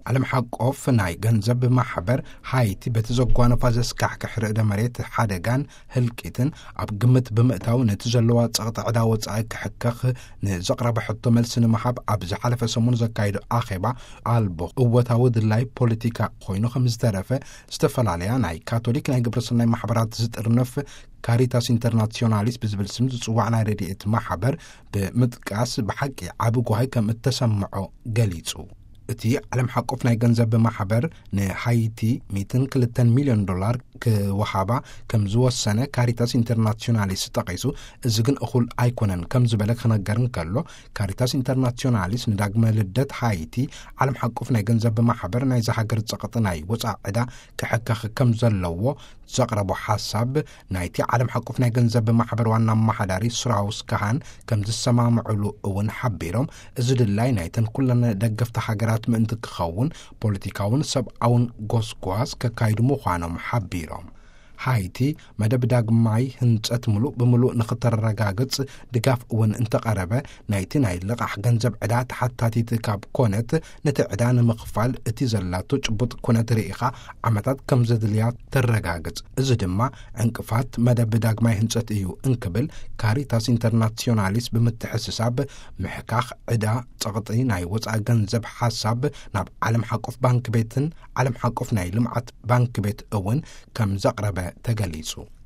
ዓለም ሓቆፍ ናይ ገንዘብ ማሕበር፣ ሃይቲ በቲ ዘጓነፋ ዘስካሕክሕ ርዕደ መሬት ሓደጋን ህልቂትን ኣብ ግምት ብምእታው፣ ነቲ ዘለዋ ጸቕጢ ዕዳ ወጻኢ ክሕከኽ ንዘቕረበ ሕቶ መልሲ ንምሃብ፣ ኣብ ዝሓለፈ ሰሙን ዘካይዶ ኣኼባ ኣልቦ እወታዊ ድላይ ፖለቲካ ኮይኑ ከም ዝተረፈ፣ ዝተፈላለያ ናይ ካቶሊክ ናይ ግብረሰናይ ማሕበራት ዝጥርንፍ ካሪታስ ኢንተርናሲዮናሊስ ብዝብል ስም ዝጽዋዕ ናይ ረድኤት ማሕበር ብምጥቃስ፣ ብሓቂ ዓቢ ጓሂ ከም እተሰምዖ ገሊጹ። እቲ ዓለም ሓቆፍ ናይ ገንዘብ ማሕበር ንሃይቲ ሚእትን ክልተን ሚልዮን ዶላር ክወሃባ ከም ዝወሰነ ካሪታስ ኢንተርናሲዮናሊስ ጠቒሱ፣ እዚ ግን እኹል ኣይኮነን ከም ዝበለ ክነገር እንከሎ፣ ካሪታስ ኢንተርናሲዮናሊስ ንዳግመ ልደት ሃይቲ ዓለም ሓቆፍ ናይ ገንዘብ ማሕበር ናይዚ ሃገር ጸቕጢ ናይ ወጻኢ ዕዳ ክሕከኽ ከም ዘለዎ ዘቕረቦ ሓሳብ፣ ናይቲ ዓለም ሓቆፍ ናይ ገንዘብ ማሕበር ዋና ኣመሓዳሪ ስራውስ ካሃን ከም ዝሰማምዕሉ እውን ሓቢሮም፣ እዚ ድላይ ናይተን ኩለን ደገፍቲ ሃገራት ምእንቲ ክኸውን፣ ፖለቲካውን ሰብኣውን ጎስጓስ ከካይዱ ምዃኖም ሓቢሮም። ሃይቲ መደብ ዳግማይ ህንጸት ምሉእ ብምሉእ ንኽተረጋግጽ ድጋፍ እውን እንተቐረበ፣ ናይቲ ናይ ልቓሕ ገንዘብ ዕዳ ተሓታቲት ካብ ኮነት፣ ነቲ ዕዳ ንምኽፋል እቲ ዘላቶ ጭቡጥ ኩነት ርኢኻ ዓመታት ከም ዘድልያ ተረጋግጽ። እዚ ድማ ዕንቅፋት መደብ ዳግማይ ህንጸት እዩ እንክብል፣ ካሪታስ ኢንተርናሲዮናሊስ ብምትሕስሳብ፣ ምሕካኽ ዕዳ ጸቕጢ ናይ ወጻኢ ገንዘብ ሓሳብ ናብ ዓለም ሓቆፍ ባንክ ቤትን ዓለም ሓቆፍ ናይ ልምዓት ባንክ ቤት እውን ከም ዘቕረበ ተገሊጹ።